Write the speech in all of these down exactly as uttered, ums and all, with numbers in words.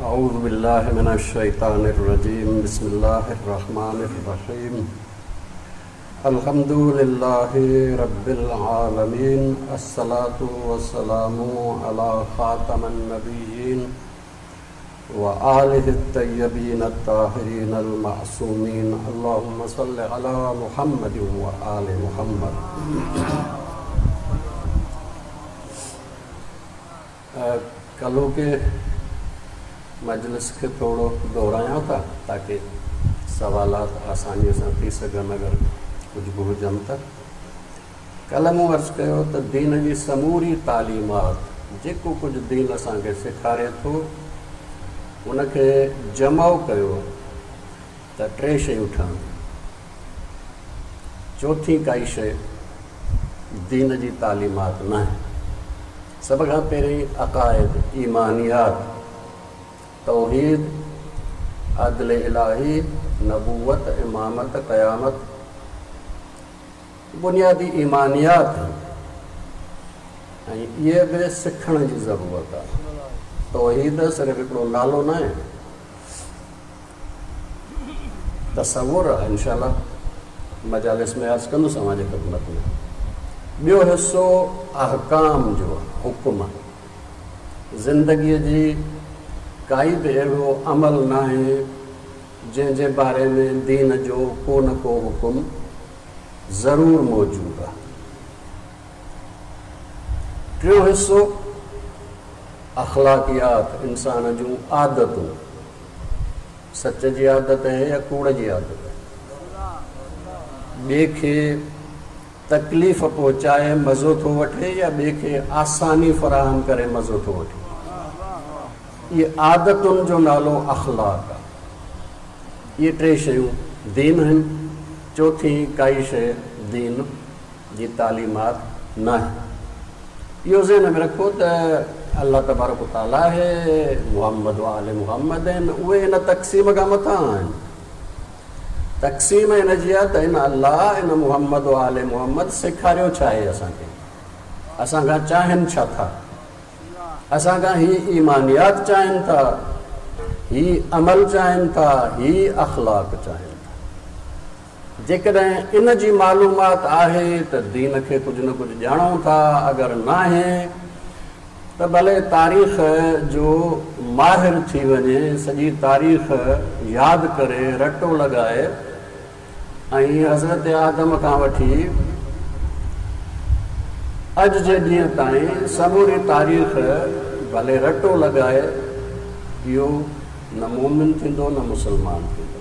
اعوذ بالله من الشيطان الرجيم بسم الله الرحمن الرحيم الحمد لله رب العالمين الصلاة والسلام على خاتم النبيين وآله الطيبين الطاهرين المعصومين اللهم صل على محمد وآل محمد. ڪلهوڪي مجلس کي ٿورو دهرايان ٿا تاڪه سوالات آسانيءَ سان ٿي سگهن اگر ڪجهه به هجن ته. ڪلهه مون عرض ڪيو ته دين جي سموري تعليمات جيڪو ڪجهه دين اسان کي سيکاري ٿو ان کي جمع ڪيو ته ٽي شيون ٺهنديون. چوٿين ڪائي شيءِ دين جي تعليمات نه آهي. سڀ کان پهرين عقائد، ايمانيات، توحيد، عدل الاهي، نبوت، امامت، قيامت، بنيادي ايمانيات آهن ۽ اهي به سکڻ جي ضرورت آهي. توحيد صرف هڪڙو نالو نه آهي، تصور آهي. انشاء الله مجالس ۾ عرض ڪندس اوهان جي خدمت ۾. ٻيو حصو احڪام جو آهي، حڪم. زندگيءَ جي ڪائي به اهڙو عمل نه آهي جنهن جي باري ۾ دين جو ڪو نه ڪو حڪم ضرور موجود آهي. ٽيون حصو اخلاقيات، انسان جون عادتون. سچ جي عادت آهي يا ڪوڙ جي عادت آهي، ٻئي کي تڪليف پهچائي مزو ٿو وٺي يا ٻئي کي آساني فراهم ڪري مزو ٿو وٺي. اهي عادتن جو نالو اخلاق آهي. اهي ٽي شيون دين آهن. چوٿين ڪائي شيءِ دين جي تعليمات نه آهي. اهو ذهن ۾ رکو ته الله تبارڪ تعاليٰ آهي، محمد آل محمد آهن، اهي هن تقسيم کان مٿان آهن. تقسيم هن جي آهي ته هن الله، هن محمد آل محمد سيکاريو ڇا آهي اسان کي، اسان کان چاهين ڇا ٿا، اسان کان هي ايمانيات چاهين ٿا، هي عمل چاهين ٿا، هي اخلاق چاهين ٿا. جيڪڏهن ان جي معلومات آهي ته دين کي ڪجهه نه ڪجهه ڄاڻون ٿا، اگر نه آهي ته ڀلي تاريخ جو ماهر ٿي وڃي، سڄي تاريخ ياد ڪري رٽو لڳائي ۽ حضرت آدم کان وٺي اڄ جي ڏينهن تائين سموري تاريخ ڀلي رٽو لڳائي، اهو نه مومن ٿيندو نه مسلمان ٿيندو.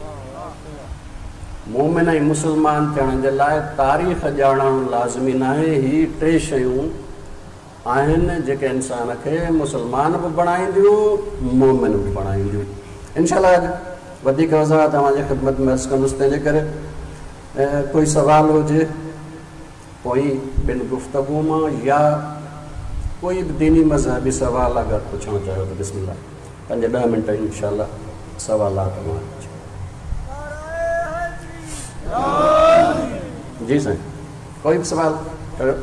مومن ۽ مسلمان ٿيڻ جي لاءِ تاريخ ڄاڻڻ لازمي نه آهي. هي ٽي شيون آهن جيڪي انسان کي مسلمان به بڻائينديون، مومن به بڻائينديون. انشاء الله اڄ وڌيڪ وضاحت توهان جي خدمت ۾ عرض ڪندس. تنهن جي ڪري ڪوئي سوال هجي پوءِ ٻن گفتگو مان يا ڪوئي به ديني مذهبي سوال اگر پڇڻ چاهيو ته بسم الله پنج ڏهه منٽ انشاء الله سوالات مان. جي سائين، ڪوئي به سوال ڪيو،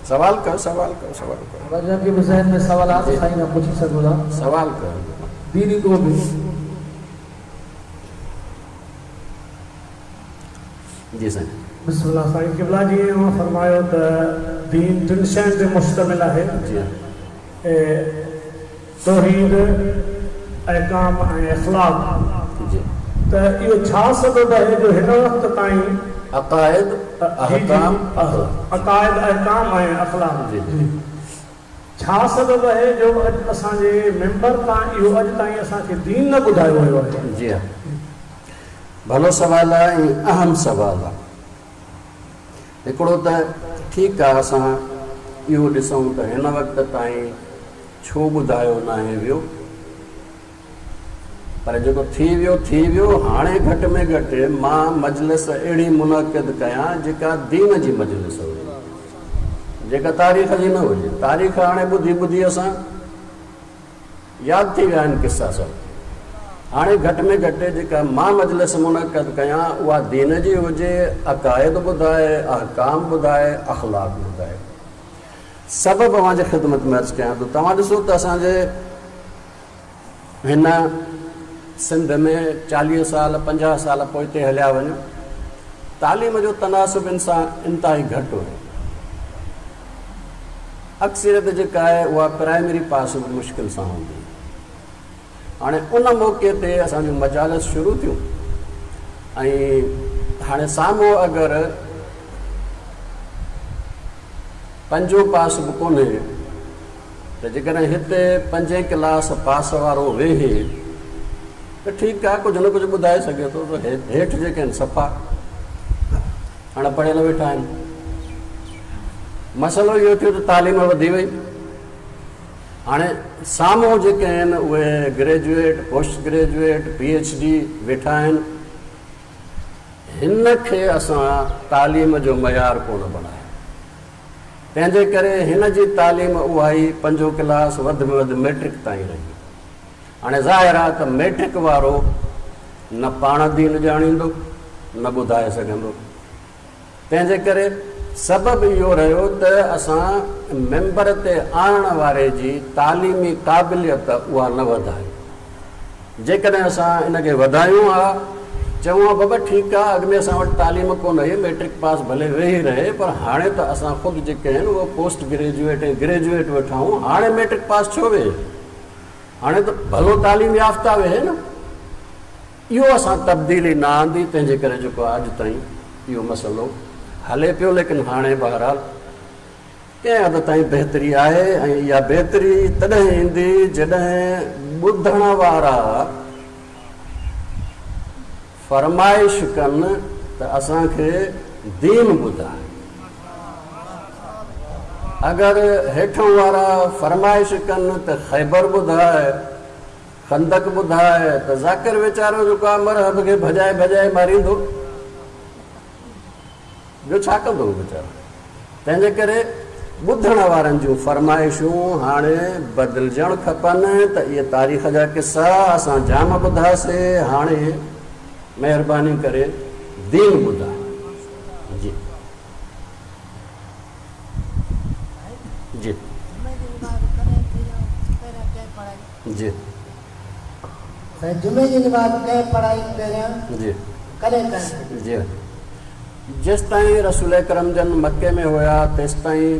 سوال ڪيو، سوال ڪيو، سوال ڪيو. جنهن کي به ذهن ۾ سوال آهي سائين کان پڇي سگهو ٿا. سوال ڪيو ديني ڪو به. جي سائين. بسم الله. سائين قبلا جي اوهان فرمايو ته دين ٽن شين تي مشتمل آهي. جي ها. توحيد، احڪام ۽ اخلاق. جي. ته اهو ڇا سبب آهي جو هن وقت تائين عقائد، احڪام، اخلاق. عقائد، احڪام ۽ اخلاق. جي جي. ڇا سبب آهي جو اڄ اسان جي ميمبر تان اهو اڄ تائين اسان کي دين نه ٻڌايو ويو آهي؟ جي ها، ڀلو سوال آهي ۽ اهم سوال آهي. هڪڙو ته ٺيڪ آهي اسان اهو ڏسون ته هن وقت تائين ڇو ٻڌايو نه آهي ويو، پر جيڪو ٿي ويو ٿي ويو. هاڻي گهٽ ۾ گهٽ مان مجلس اهڙي منعقد ڪيان جيڪا دين جي مجلس هجي، جيڪا تاريخ جي نه هجي. تاريخ هاڻي ٻڌي ٻڌي اسان ياد ٿي ويا آهن قصا سڀ. هاڻي گهٽ ۾ گهٽ جيڪا مان مجلس منعقد ڪيان اها دين جي هجي، عقائد ٻڌائي، احڪام ٻڌائي، اخلاق ٻڌائي. سبب اوهان جي خدمت ۾ عرض ڪيان ٿو. توهان ڏسو ته اسان جي هن سنڌ ۾ چاليهه سال پنجاهه سال پوئتي هليا وڃو، تعليم جو تناسب ان سان انتهائي گهٽ هو. اڪثريت جيڪا آهي اها پرائمري پاس به مشڪل سان هوندي. هاڻي ان موقعي تي اسان جون مجالس شروع ٿيون ۽ هاڻي سامهون اگر پنجون پاس به ڪونهي ته جيڪڏهن هتي پنجين ڪلاس پاس وارو ويهي ته ٺيڪ آهي، ڪجهه نه ڪجهه ٻڌائي سگهي ٿو. ته هيٺ جيڪي آهن صفا اڻ پڙهيل ويٺا آهن. مسئلو اهو ٿيو ته تعليم وڌي وئي. هاڻي سامهون جيڪي آهن اهي graduate, post graduate, P H D ويٺا آهن. هن کي اسان تعليم جو معيار ڪونه بڻايو، تنهن جي ڪري هن جي تعليم اها ئي پنجون ڪلاس وڌ ۾ وڌ ميٽرڪ تائين رهي. هاڻي ظاهر آهي ته ميٽرڪ وارو نه پاڻ دين ڄاڻيندو نه ٻڌائي سگهندو. تنهن جي ڪري سبب اهو رهيو ته اسان ميمبر تي آڻڻ واري جي تعليمي قابليت اها نه وڌائي. جيڪڏهن اسان ان کي وڌايون ها، چئون ها بابا ٺيڪ آهي، اڳ ۾ اسان وٽ تعليم ڪونه هئي، ميٽرڪ پاس ڀلي ويهي رهي، پر هاڻي ته اسان خود جيڪي آهن اهي پوسٽ گريجوئيٽ ۽ گريجوئيٽ ويٺا آهيون، هاڻي ميٽرڪ پاس ڇو ويهي؟ هاڻي ته ڀلو تعليم يافته ويهي نه. اهو اسان تبديلي نه آندي، تنهن جي ڪري جيڪو اڄ تائين اهو مسئلو هلي پيو. ليڪن هاڻي بهرحال ڪنهن حد تائين بهتري آهي ۽ اها بهتري تڏهن ايندي جڏهن ٻڌڻ وارا فرمائش ڪن ته اسان کي دين ٻڌائي. اگر هيٺون وارا فرمائش ڪن ته خيبر ٻڌائي، خندق ٻڌائي، ته ذاڪر ويچارو جيڪو آهي مرحب کي ڀڄائي ڀڄائي ماريندو، ٻيو ڇا ڪندو هو ويچارو؟ تنهن جي ڪري ٻڌڻ وارن جون فرمائشون هاڻي بدلجڻ کپن. ته اهي تاريخ جا قصا اسان جام ٻڌاسي، هاڻي مهرباني ڪري دين ٻڌائي. جي جي جي جمعي جي نماز ڪنهن پڙهائي پهريان؟ جي ڪڏهن ڪنهن؟ جي جيستائين رسول اڪرم جن مڪي ۾ هيا تيستائين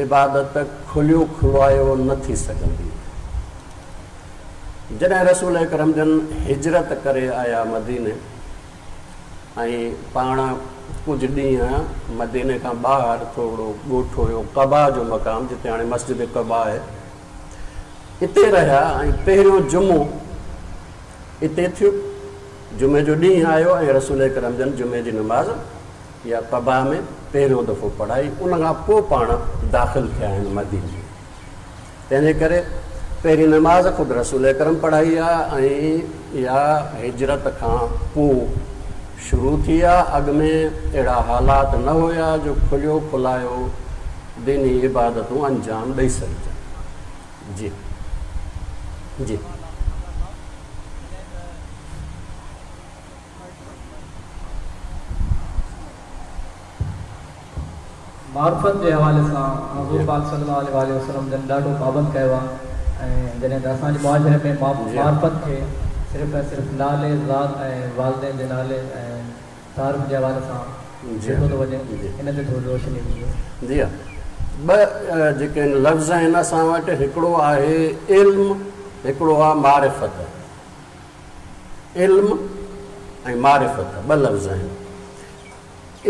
عبادت کليو کلايو نه ٿي سگهندي. جڏهن رسول اڪرم جن هجرت ڪري آيا مديني ۽ پاڻ ڪجهه ڏينهن مديني کان ٻاهر ٿورو ڳوٺ هيو قبا جو مقام، جتي هاڻي مسجد قبا آهي، اتي رهيا ۽ پهريون جمعو اتي ٿيو. جمعي جو ڏينهن آيو ۽ رسول اڪرم جن جمعي جي نماز يا قبا ۾ پهريون دفعو پڙهائي. ان کان پوءِ پاڻ داخل ٿيا آهن مديني. تنهن جي ڪري پهرين نماز خود رسول اڪرم پڙهائي آهي ۽ اها هجرت کان پوءِ شروع ٿي آهي. اڳ ۾ اهڙا حالات نه هئا جو کليو کلايو ديني عبادتون انجام ڏيئي سگهجن. جي جي معرفت جي حوالي سان حضور پاڪ صلي الله عليه وسلم جن ڏاڍو پابند ڪيو آهي ۽ جڏهن ته اسان جي معاشري ۾ معرفت کي صرف ۽ صرف نالي ذات ۽ والدين جي نالي ۽ تعارف جي حوالي سان ڏٺو ٿو وڃي، ان تي ٿوري روشني وجهو. جي ها، ٻه جيڪي لفظ آهن اسان وٽ، هڪڙو آهي علم، هڪڙو آهي معرفت. علم ۽ معرفت ٻه لفظ آهن.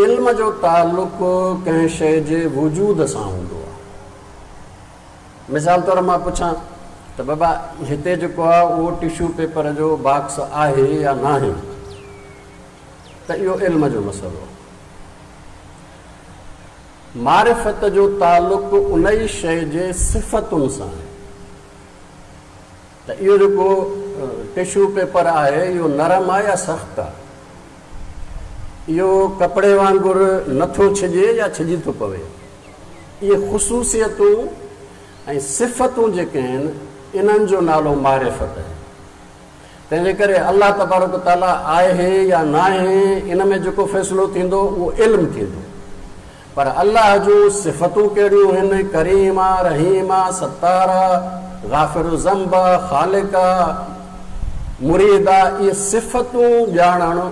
علم جو تعلق ڪنهن شيءِ جي وجود سان هوندو آهي. مثال طور مان پڇان ته بابا هتي جيڪو آهي اهو ٽشو پيپر جو باڪس آهي يا نه آهي، ته اهو علم جو مسئلو آهي. معرفت جو تعلق ان ئي شيءِ جي صفتن سان آهي. ته اهو جيڪو ٽشو پيپر آهي اهو نرم آهي يا سخت آهي، اهو ڪپڙي وانگر نٿو ڇڄي يا ڇڄي ٿو پوي، اهي خصوصيتون ۽ صفتون جيڪي آهن انهن جو نالو معرفت آهي. تنهن جي ڪري الله تبارڪ تعاليٰ آهي يا نه آهي ان ۾ جيڪو فيصلو ٿيندو اهو علم ٿيندو، पर अलाह जूं सिफ़तूं कहिड़ियूं आहिनि, करीम आहे, रहीम आहे, सत्तार आहे, ग़ाफ़िर ज़ंब आहे, ख़ालिक आहे, मुरीद आहे, इहे सिफ़तूं ॼाणणु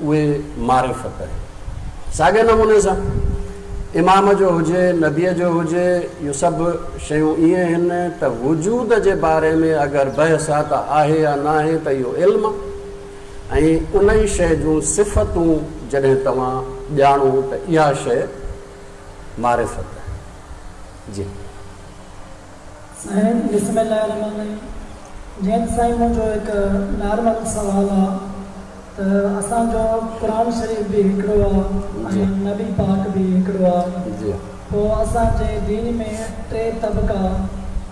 उहे मारिफ़त आहे। साॻे नमूने सां इमाम जो हुजे, नबीअ जो हुजे, इहो सभु शयूं ईअं आहिनि त वजूद जे बारे में अगरि बहस आहे त आहे या न आहे त इहो इल्मु आहे ऐं उन ई शइ जूं सिफ़तूं जॾहिं तव्हां ॼाणो त इहा शइ मारिफ़त आहे। जी साईं बिस्मिल्लाहिर्रहमानिर्रहीम। जीअं साईं मुंहिंजो हिकु नॉर्मल सवाल आहे त असांजो क़ुरान शरीफ़ बि हिकिड़ो आहे ऐं नबी पाक बि हिकिड़ो आहे, जी पोइ असांजे दीन में टे तबका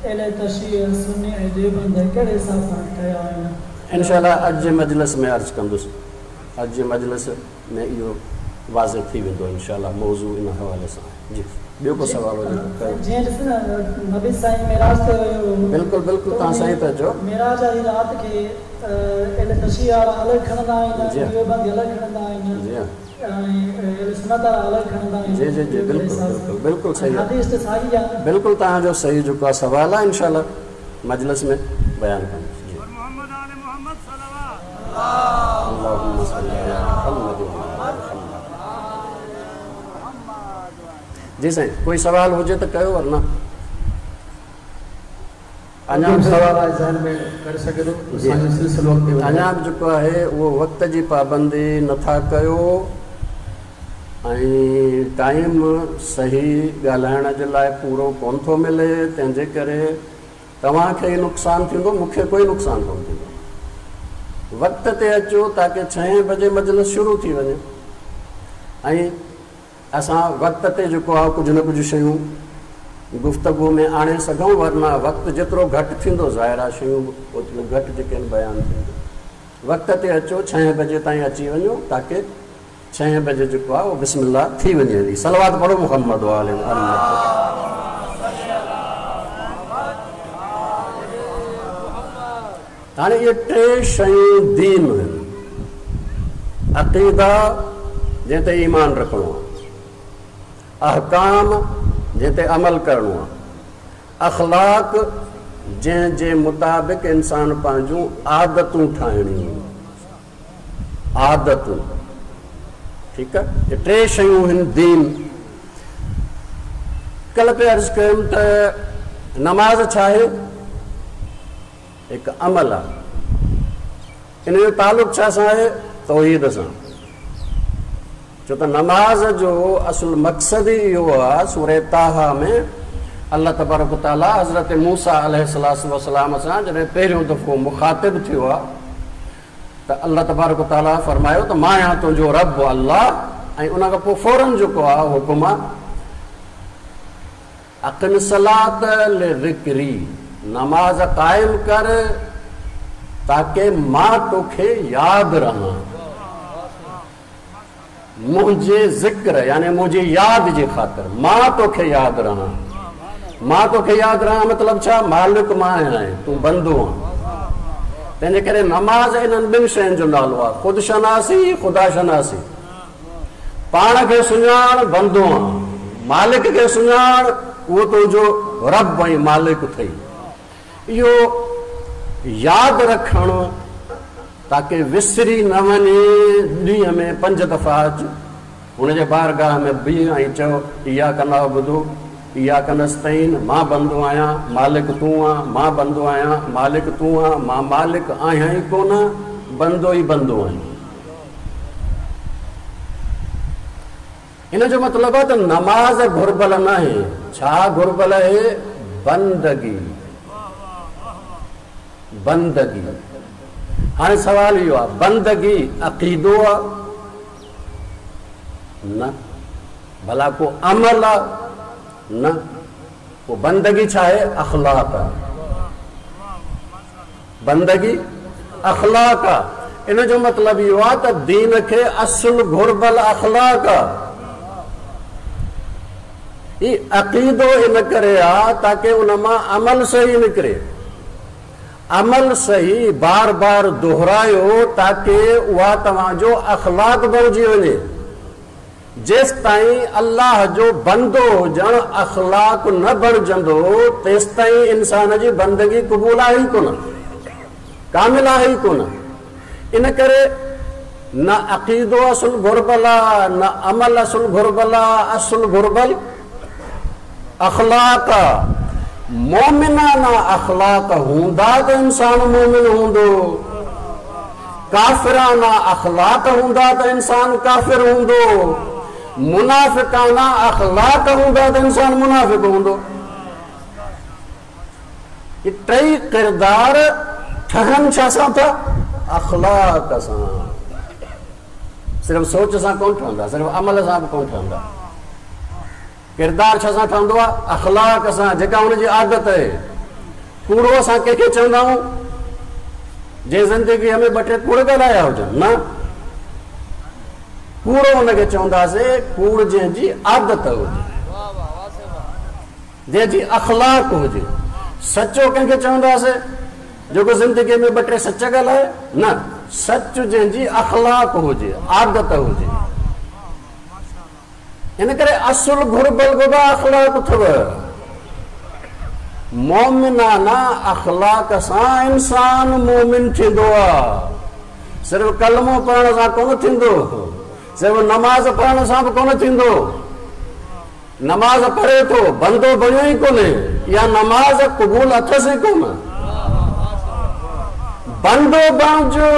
अहले तशरीह, सुन्नी ऐं देवबंद कहिड़े हिसाब सां ठहिया आहिनि? इनशाअल्लाह अॼु जे मजलिस में अर्ज़ु कंदुसि, अॼु जे मजलिस में इहो वाज़े थी वेंदो इनशाअल्लाह मौज़ू इन हवाले सां। जी ॿियो को सवाल हुजे? जीअं ॾिस न नबी साईं मेराज ते वियो, बिल्कुलु बिल्कुलु तव्हां सही था चओ, मेराज वारी राति खे अहले तशरीह वारा अलॻि खणंदा आहिनि, देवबंदी अलॻि खणंदा आहिनि, जी ऐं अहले सुन्नत वारा अलॻि खणंदा आहिनि। जी जी जी बिल्कुलु बिल्कुलु बिल्कुलु सही आहे, हदीस त साॻी आहे। बिल्कुलु तव्हांजो सही जेको आहे सवाल आहे, इनशाअल्लाह मजलिस में बयानु कंदुसि। जी अल्लाहुम्मा सल्ली अला मुहम्मद व अला मुहम्मद। जी साईं कोई सवाल हुजे त कयो, वरना अञा बि सवाल आहे ज़हन में करे सघे थो। असांजो सिलसिलो अॻिते वधे। अञा बि जेको आहे उहो वक़्त जी पाबंदी नथा कयो ऐं टाइम सही ॻाल्हाइण जे लाइ पूरो कोन थो मिले, तंहिंजे करे तव्हांखे ई नुक़सानु थींदो, मूंखे कोई नुक़सानु कोन थींदो। वक़्त ते अचो ताकी छहें बजे मजलिस शुरू थी वञे ऐं असां वक़्त ते जेको आहे कुझु न कुझु शयूं गुफ़्तगू में आणे सघूं, वरना वक़्तु जेतिरो घटि थींदो ज़ाहिर आहे शयूं बि ओतिरियूं घटि जेके आहिनि बयानु थींदियूं। वक़्त ते अचो, छहें बजे ताईं अची वञो ताकी छहें बजे जेको आहे उहो बिस्मिल्लाह थी वञे हली। सलवात पढ़ो मुहम्मद वाले। हाणे इहे टे शयूं दीन आहिनि। अक़ीदा जंहिं ते ईमान रखिणो आहे, अहकाम जंहिं ते अमल करिणो आहे, अख़लाक जंहिंजे मुताबिक़ इंसान पंहिंजूं आदतूं ठाहिणियूं, आदतूं। ठीकु आहे, इहे टे शयूं आहिनि दीन। कल्ह पे अर्ज़ु कयुमि त नमाज़ छा आहे? हिकु अमल आहे। इन जो तालुक़ छा सां आहे? तौहीद सां। छो त नमाज़ जो असुलु मक़सदु ई इहो आहे। सूरह ताहा में अलाह तबारक ताला हज़रत मूसा अलैहिस्सलाम सां जॾहिं पहिरियों दफ़ो मुखातिब थियो आहे त अलाह तबारक ताला फरमायो त मां आहियां तुंहिंजो रब अलाह, ऐं उन खां पोइ फ़ौरन जेको आहे हुकुम आहे अक़िम सलात लिज़िक्री, नमाज़ क़ाइम कर ताकी मां तोखे यादि रहां, मुंहिंजे ज़िक्र यानी मुंहिंजी यादि जे ख़ातिर मां तोखे यादि रहां। मां तोखे यादि रहां मतिलबु छा? मालिक मां आहियां, तूं बंदो आहीं। तंहिंजे करे नमाज़ इन्हनि ॿिनि शयुनि जो नालो आहे, ख़ुदि शनासी ख़ुदा शनासी। पाण खे सुञाण बंदो आहीं, मालिक खे सुञाण उहो तुंहिंजो रब ऐं मालिक अथई। इहो यादि रखणु ताकी विसरी न वञे। ॾींहं में पंज दफ़ा अचु हुनजे बारगाह में बीह ऐं चओ इहा नअबुदु इहा नस्तईन, मां बंदो आहियां मालिक तूं आहीं, मां बंदो आहियां मालिक तूं आहीं, मां मालिक आहियां ई कोन, बंदो ई बंदो आहियां। इन जो मतिलबु आहे त नमाज़ घुर्बल न आहे। छा घुर्बल आहे? बंदगी, बंदगी। हाणे सवाल इहो आहे, बंदगी अक़ीदो आहे न, भला को अमल आहे न, पोइ बंदगी छा आहे? अख़लाक़ आहे। बंदगी अख़लाक़ आहे। इन जो मतिलबु इहो आहे त दीन खे असुलु घुर्बल अख़लाक़ आहे। ही अक़ीदो इन करे आहे ताकी उन मां अमल सही निकिरे, अमल सही बार बार दोहरायो ताकी उहा तव्हांजो अख़लाक़ बणिजी वञे। जेसिताईं अल्लाह जो बंदो हुजण अख़लाक न बणिजंदो तेसिताईं इंसान जी बंदगी क़बूल आहे ई कोन, कामिल आहे ई कोन। इन करे न अक़ीदो असुल घुर्बल आहे, न अमल असुल घुर्बल आहे, असुल घुर्बल अख़लाक आहे। मोमिनाना अख़लाक हूंदा त इंसान मोमिन हूंदो, काफ़िराना अख़लाक हूंदा त इंसान काफ़िर हूंदो, मुनाफ़िकाना अख़लाक हूंदा त इंसान मुनाफ़िक हूंदो। इहे टई किरदार ठहनि छा सां था? अख़लाक सां। सिर्फ़ सोच सां कोन ठहंदा, सिर्फ़ अमल सां बि कोन ठहंदा। किरदार छा सां ठहंदो आहे? अख़लाक सां, जेका हुनजी आदत आहे। कूड़ो असां कंहिंखे चवंदा आहियूं? जंहिं ज़िंदगीअ में ॿ टे कूड़ ॻाल्हाया हुजनि, न कूड़ो हुनखे चवंदासीं कूड़ जंहिंजी आदत हुजे, जंहिंजी अख़लाक हुजे। सचो कंहिंखे चवंदासीं? जेको ज़िंदगीअ में ॿ टे सच ॻाल्हाए, न सच जंहिंजी अख़लाक हुजे, आदत हुजे। इन करे असुल घुर्बल बाबा अख़लाक अथव। मोमिनाना अख़लाक सां इंसान मोमिन थींदो आहे, सिर्फ़ कलमो पढ़ण सां कोन थींदो, सिर्फ़ नमाज़ पढ़ण सां बि कोन थींदो। नमाज़ पढ़े थो बंदो बणियो ई कोन्हे, या नमाज़ क़बूल अथसि ई कोन। बंदो बणिजो,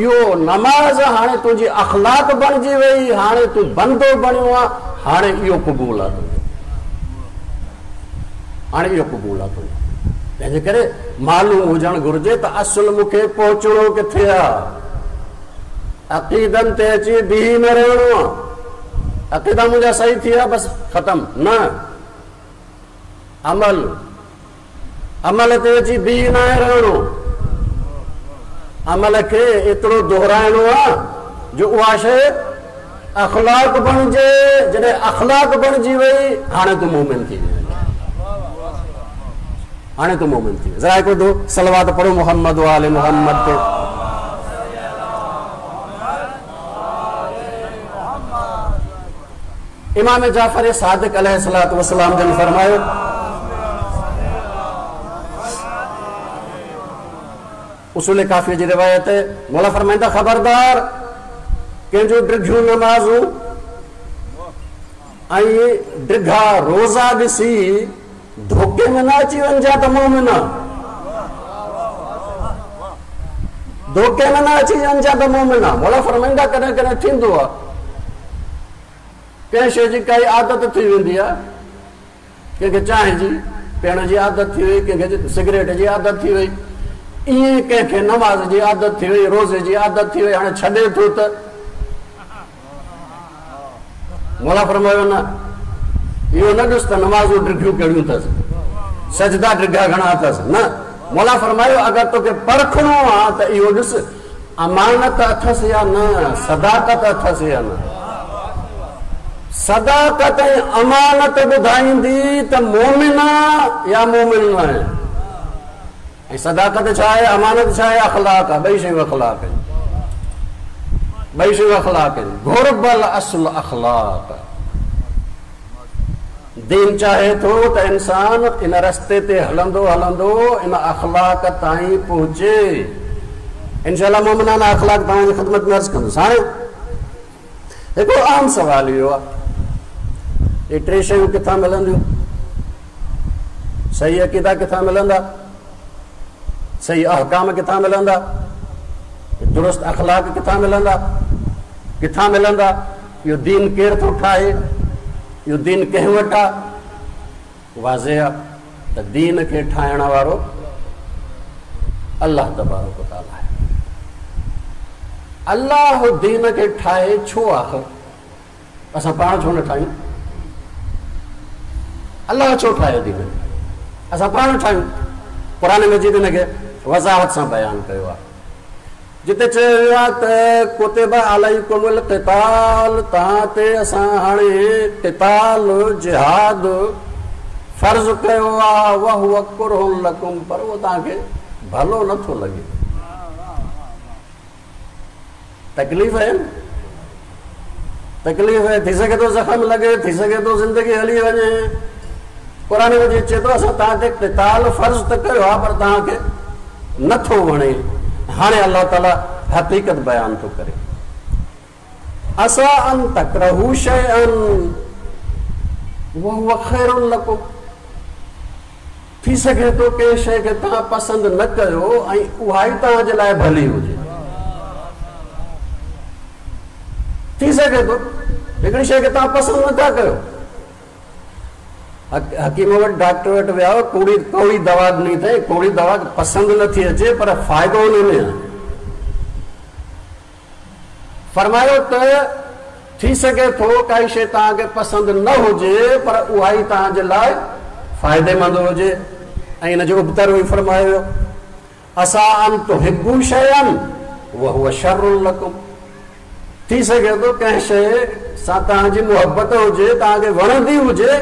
इहो नमाज़ हाणे तुंहिंजी अख़लाक बणिजी वई, हाणे तूं बंदो बणियो आहे, हाणे इहो क़बूल आहे तुंहिंजो, हाणे इहो क़बूल आहे तुंहिंजो। तंहिंजे करे मालूम हुजणु घुरिजे त असुल मूंखे पहुचणो किथे आहे। अक़ीदनि ते अची बीही न रहणो आहे। अक़ीदा मुंहिंजा सही थी विया बसि ख़तमु, न अमल अमल ते अची बीही न आहे रहणो। अमल खे एतिरो दोहराइणो आहे जो उहा शइ अख़लाक बणिजे। जॾहिं अख़लाक बणिजी वई हाणे तूं मोमिन थी वई, हाणे तूं मोमिन थी वई। ज़रा हिकिड़ो दो सलवात पढ़ो मोहम्मद वाले मोहम्मद ते। इमाम जाफ़र सादिक अलैहिस्सलातु वस्सलाम जन फरमायो, उसूल काफ़ी जी रिवायत है, मौला फरमाईंदा ख़बरदार कंहिंजो डिघियूं नमाज़ूं ऐं डिघा रोज़ा ॾिसी धोखे में न अची वञिजां त मोमिन, धोखे में न अची वञिजां त मोमिन। मौला फरमाईंदा कॾहिं कॾहिं थींदो आहे कंहिं शइ जी काई आदत थी वेंदी आहे, कंहिंखे चांहि जी पीअण जी आदत थी वई, कंहिंखे सिगरेट जी आदत थी वई, ईअं कंहिंखे नमाज़ जी आदत थी वई, रोज़े जी आदत थी वई, हाणे छॾे थो त मौला फरमायो न इहो न ॾिस त नमाज़ूं डिघियूं कहिड़ियूं अथसि, सजदा डिघा घणा अथसि, न। मौला फरमायो अगरि तोखे परखणो आहे त इहो ॾिस अमानत अथसि या न, सदाकत अथसि या न। सदाकत ऐं अमानत ॿुधाईंदी त मोमिन आहे या मोमिन न आहे। ऐं सदाकत छा आहे, अमानत छा आहे? अख़लाक आहे, ॿई शयूं अख़लाक आहिनि, ॿई शयूं अख़लाक आहिनि। घुर्बल असुल अख़लाक। दीन चाहे थो त इंसान इन रस्ते ते हलंदो हलंदो इन अख़लाक ताईं पहुचे। इंशाअल्लाह मोमिनाना अख़लाक तव्हांजी ख़िदमत में अर्ज़ कंदुसि। हाणे हिकिड़ो अहम सवाल इहो आहे, इहे टे शयूं किथां मिलंदियूं? सही अक़ीदा किथां मिलंदा? सही अहकाम किथां मिलंदा? दुरुस्त अख़लाक किथां मिलंदा? किथां मिलंदा? इहो दीन केरु थो ठाहे? इहो दीन कंहिं वटि आहे? वाज़े आहे त दीन खे ठाहिण वारो अल्लाह तबारक व तआला आहे। अल्लाह दीन खे ठाहे छो आख़िर? असां पाण छो न ठाहियूं? अल्लाह छो ठाहियो दीन खे? असां पाण ठाहियूं। क़ुरान मजीद हिन खे वज़ाहत सां बयानु कयो आहे, जिते चयो वियो आहे त कुतिबा अलैकुमुल क़िताल, तव्हां ते असां हाणे क़िताल जिहाद फ़र्ज़ कयो आहे, वहुव कुरहुन लकुम, पर उहो तव्हांखे भलो नथो लॻे, तकलीफ़ आहे न, तकलीफ़ थी सघे थो ज़ख़म लॻे, थी सघे थो ज़िंदगी हली वञे। क़ुर मजीद चए थो असां तव्हां ते क़िताल फ़र्ज़ त कयो आहे पर तव्हांखे नथो वणे। हाणे अलाह ताला हक़ीक़त बयानु थो करे, असा अन तकरहू शैअन वहुव ख़ैरुन लकुम। थी सघे थो कंहिं शइ खे तव्हां पसंदि न कयो ऐं उहा ई तव्हांजे लाइ भली हुजे। थी सघे थो हिकिड़ी शइ खे तव्हां पसंदि नथा कयो, हकीम वटि डॉक्टर वटि विया, कौड़ी कौड़ी दवा ॾिनी अथई, कौड़ी दवा पसंदि नथी अचे पर फ़ाइदो हुन में आहे। फरमायो त थी सघे थो काई शइ तव्हांखे पसंदि न हुजे पर उहा ई तव्हांजे लाइ फ़ाइदेमंद हुजे। ऐं हिन जो उबतर ई फरमायो, असा अन तुहिब्बू शैअन वहुव शर्रुन लकुम। थी सघे थो कंहिं शइ सां तव्हांजी मुहबत हुजे, तव्हांखे वणंदी हुजे,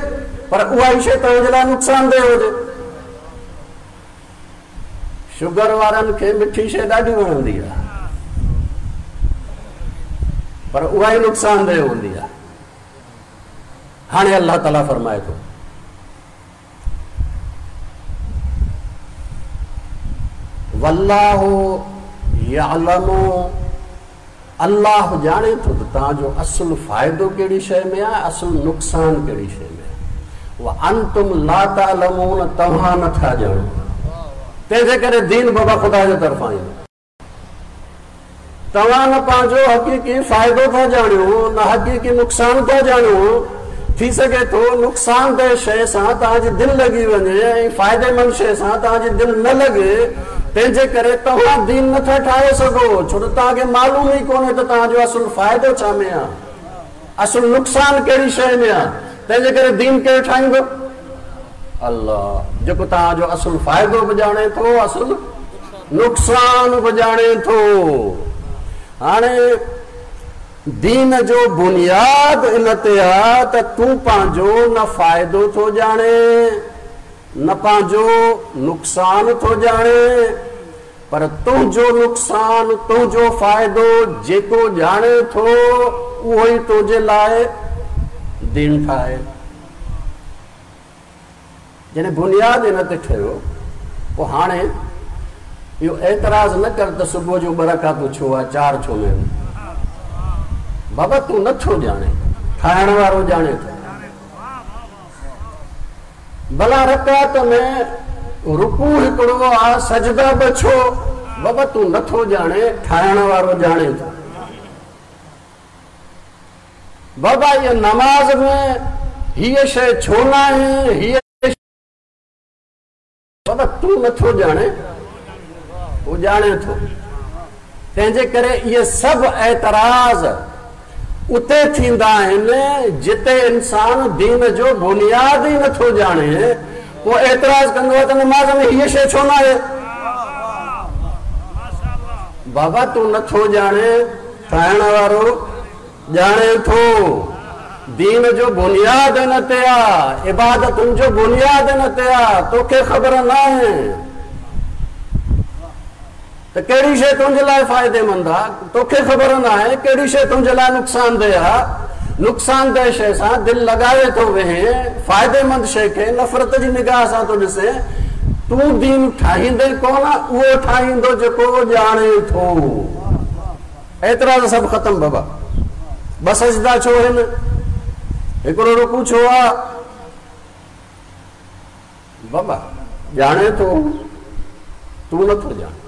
पर उहा ई शइ तव्हांजे लाइ नुक़सानदेह हुजे। शुगर वारनि खे मिठी शइ ॾाढी वणंदी आहे पर उहा ई नुक़सानदेह हूंदी आहे। हाणे अलाह ताला फरमाए थो, वल्लाहु यअलमु, अलाह ॼाणे थो त तव्हांजो असुलु फ़ाइदो कहिड़ी शइ में आहे, असुलु नुक़सानु कहिड़ी शइ में आहे। व अंतुम ला तअलमून, तव्हां नथा ॼाणो। तंहिंजे करे दीन बाबा ख़ुदा जे तरफ़ां ईंदो। तव्हां न पंहिंजो हक़ीक़ी फ़ाइदो था ॼाणियो न हक़ीक़ी नुक़सानु था ॼाणियो। थी सघे थो नुक़सानदेह शइ सां तव्हांजी दिलि लॻी वञे ऐं फ़ाइदेमंद शइ सां तव्हांजी दिलि न लॻे, तंहिंजे करे तव्हां दीन नथा ठाहे सघो, छो त तव्हांखे मालूम ई कोन्हे त तव्हांजो असुलु फ़ाइदो छा में आहे, असुलु नुक़सानु कहिड़ी शइ में आहे। तंहिंजे करे दीन केरु ठाहींदो? अलाह, जेको तव्हांजो असुलु फ़ाइदो बि ॼाणे थो, असुलु नुक़सानु बि ॼाणे थो। हाणे दीन जो बुनियाद इन ते आहे त तूं पंहिंजो न फ़ाइदो थो ॼाणे न पंहिंजो नुक़सानु थो ॼाणे, पर तुंहिंजो नुक़सानु तुंहिंजो फ़ाइदो जेको ॼाणे थो उहो ई तुंहिंजे लाइ दीन ठाहे। जॾहिं बुनियाद इन ते ठहियो पोइ हाणे इहो एतिराज़ न कर त सुबुह जो ॿ रकातूं छो आहे, चारि छो न आहिनि। बाबा तूं नथो ॼाणे, ठाहिण वारो ॼाणे थो। भला रकात में रुकू हिकिड़ो आहे, सजदा ॿ छो? बाबा तूं नथो ॼाणे, ठाहिण वारो ॼाणे थो। बाबा इहा नमाज़ में हीअ शइ छो न आहे, हीअ बाबा तूं नथो ॼाणे, उहो ॼाणे थो। तंहिंजे करे इहे सभु एतिराज़ उते थींदा आहिनि जिते इंसान दीन जो बुनियाद ई नथो ॼाणे। पोइ एतिराज़ कंदो आहे त नमाज़ में हीअ शइ छो न आहे। बाबा तूं नथो ॼाणे, ठाहिण वारो ॼाणे थो। दीन जो बुनियाद इन ते आहे, इबादतुनि जो बुनियाद इन ते आहे, तोखे ख़बर न आहे त कहिड़ी शइ तुंहिंजे लाइ फ़ाइदेमंद आहे, तोखे ख़बर न आहे कहिड़ी शइ तुंहिंजे लाइ नुक़सानदेह आहे। नुक़सानदेह शइ सां दिलि लॻाए थो वेहे, फ़ाइदेमंद शइ खे नफ़रत जी निगाह सां थो ॾिसे। तूं दीन ठाहींदे कोन, उहो ठाहींदो जेको ॼाणे थो। एतिरा सभु ख़तमु बाबा। ॿ सजदा छो आहिनि, हिकिड़ो रुकू छो आहे? बाबा ॼाणे थो, तूं नथो ॼाणे।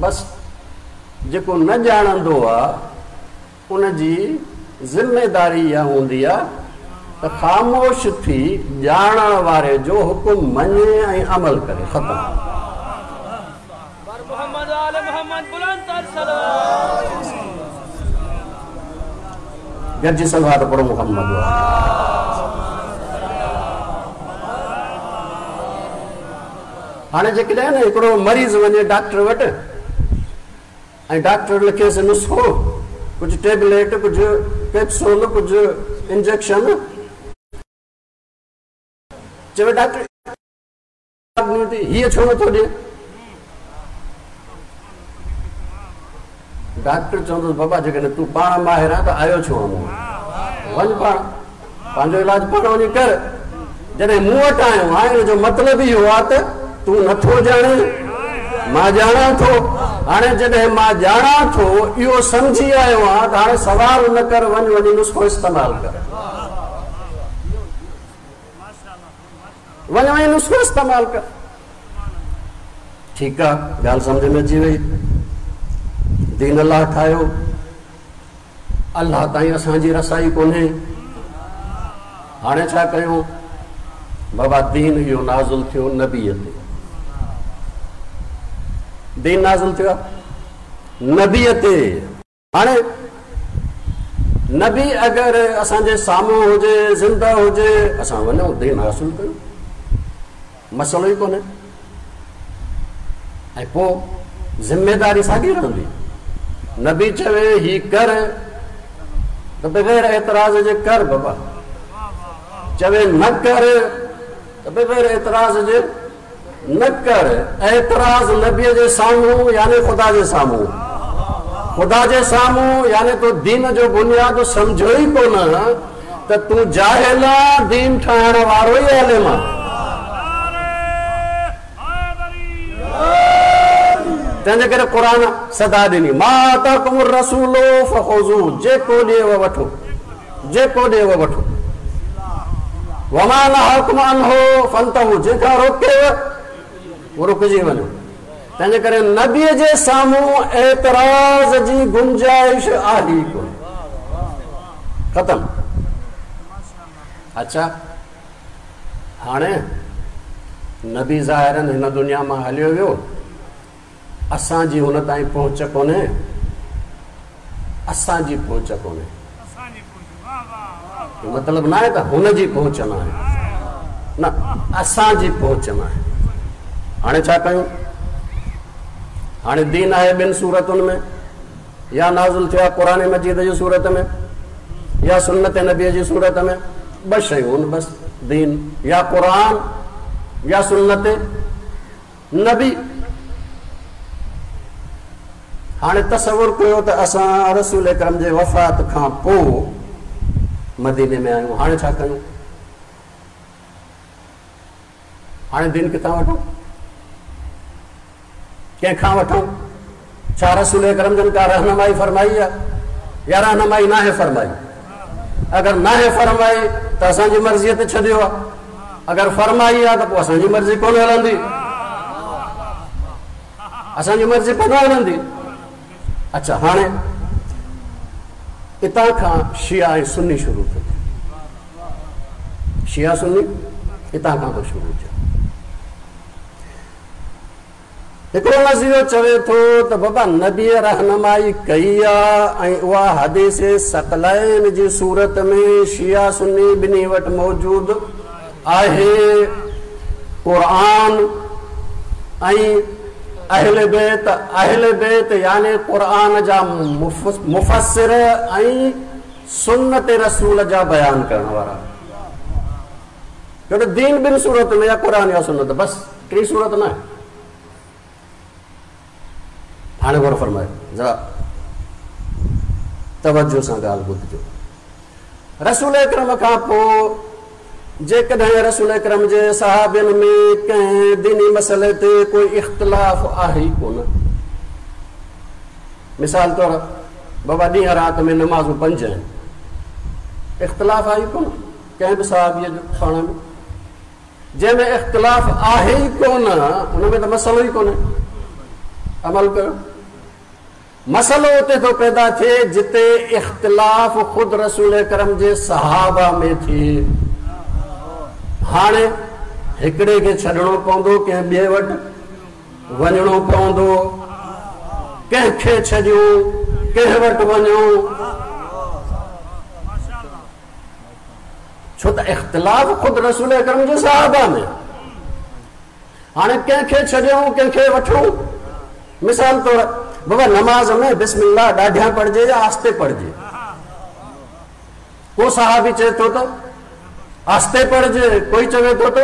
बसि जेको न ॼाणंदो आहे उनजी ज़िम्मेदारी इहा हूंदी आहे त ख़ामोश थी ॼाणण वारे जो हुकुम मञे ऐं अमल करे। ख़तमु। गॾिजी सलवात पढ़ो मुहम्मद। हाणे जेकॾहिं न हिकिड़ो मरीज़ वञे डॉक्टर वटि ऐं डॉक्टर लिखेसि नुस्ख़ो, कुझु टेबलेट, कुझु कैप्सूल, कुझु इंजेक्शन। चवे डॉक्टर हीअ छो नथो ॾिए? डॉक्टर चवंदुसि बाबा जेकॾहिं तूं पाण माहिर आहीं त आयो छो आहिनि? वञ पाण पंहिंजो इलाज पाण वञी कर। जॾहिं मूं वटि आयो आहे हिन जो मतिलबु इहो आहे त तूं नथो ॼाणे, मां ॼाणां थो। हाणे जॾहिं मां ॼाणां थो इहो सम्झी आयो आहियां त हाणे सवाल न कर, वञ वञी नुस्ख़ो इस्तेमालु कर, वञ वञी नुस्ख़ो इस्तेमालु कर। ठीकु आहे, ॻाल्हि सम्झ में अची वई। दीन अल्लाह ठाहियो, अल्लाह ताईं असांजी रसाई कोन्हे। हाणे छा कयूं बाबा? दीन इहो नाज़िल थियो नबीअ ते, दीन नाज़िल थियो नबीअ ते। हाणे नबी अगरि असांजे साम्हूं हुजे, ज़िंदा हुजे, असां वञूं दीन हासिल कयूं, मसइलो ई कोन्हे। ऐं पोइ ज़िम्मेदारी साॻी रहंदी। नबी चवे ही कर त बग़ैर एतिराज़ जे कर बाबा, चवे न कर त बग़ैर एतिराज़ जे न कर। एतिराज़ नबीअ जे साम्हूं यानी ख़ुदा जे साम्हूं, ख़ुदा जे साम्हूं यानी तूं दीन जो बुनियाद सम्झो ई कोन त तूं जाहिल आहीं, दीन ठाहिण वारो ई आलिम आहे। तंहिंजे करे क़ुर सदा ॾिनी, मां आताकुम रसूल फख़ुज़ू, जेको ॾिएव वठो, जेको ॾिएव वठो। वमा नहाकुम अन्हु फंतहू, जंहिंखां रोकेव उहो रुकिजी वञो। तंहिंजे करे नबीअ जे साम्हूं एतिराज़ जी गुंजाइश आहे ई कोन, ख़तमु। अच्छा, हाणे नबी ज़ाहिरनि हिन दुनिया मां हलियो वियो, असांजी हुन ताईं पहुच कोन्हे, असांजी पहुच कोन्हे। मतिलबु न आहे त हुनजी पहुच न आहे, न, असांजी पहुच न आहे। हाणे छा कयूं? हाणे दीन आहे ॿिनि सूरतुनि में, या नाज़िल थियो आहे क़ुर मजीद जी सूरत में या सुन्नत नबीअ जी सूरत में। ॿ शयूं आहिनि बसि, दीन या क़ुर या सुन्नत नबी। हाणे तसवुर कयो त असां रसूल अकरम जे वफ़ात खां पोइ मदीने में आहियूं, हाणे छा कयूं? हाणे दीन किथां वठूं? कंहिंखां वठूं? छा रसूल अकरम जन का रहनुमाई फरमाई आहे या रहनुमाई नाहे फरमाई? अगरि नाहे फरमाई त असांजी मर्ज़ीअ ते छॾियो आहे, अगरि फरमाई आहे त पोइ असांजी मर्ज़ी कोन हलंदी, असांजी मर्ज़ी कोन हलंदी। अच्छा, हाणे इतां खां शिया ऐं सुन्नी शुरू थो थिए, शिया सुन्नी इतां खां थो शुरू थिए। हिकिड़ो नज़रियो चवे थो त बाबा नबीअ रहनुमाई कई आहे ऐं उहा हदीस सकलैन जी सूरत में शिया सुन्नी ॿिन्ही वटि मौजूदु आहे। क़ुर ऐं अहल बैत, अहल बैत यानी क़ुर जा मुफ़स्सिर ऐं सुन्नत रसूल जा बयान करण वारा। छो त दीन ॿिनि सूरत में या क़ुर या सुन्नत, बसि टी सूरत न आहे। हाणे गौर फरमायो, ज़रा तवजो सां ॻाल्हि ॿुधजो। रसूल अकरम खां पोइ जेकॾहिं रसूल अकरम जे सहाबियुनि में कंहिं दीनी मसइले ते कोई इख़्तिलाफ़ आहे ई कोन, मिसाल तौरु बाबा ॾींहुं राति में नमाज़ूं पंज आहिनि, इख़्तिलाफ़ आहे ई कोन कंहिं बि सहाबीअ जो पाण में, जंहिंमें इख़्तिलाफ़ आहे ई कोन हुन में त मसइलो ई कोन्हे, अमल कयो। मसइलो उते थो पैदा थिए जिते इख़्तिलाफ़ ख़ुदि रसूल करम जे सहाबा में थिए। हाणे हिकिड़े खे छॾिणो पवंदो, कंहिं ॿिए वटि वञिणो पवंदो, कंहिंखे छॾियूं, कंहिं वटि वञूं, छो त इख़्तिलाफ़ ख़ुदि रसूल अकरम जे सहाबा में। हाणे कंहिंखे छॾियूं, कंहिंखे वठूं? मिसाल तौरु बाबा नमाज़ में बिस्मिल्लाह ॾाढियां पढ़िजे या आस्ते पढ़िजे? को सहाबी चए थो त आस्ते पढ़िजे, कोई चवे थो त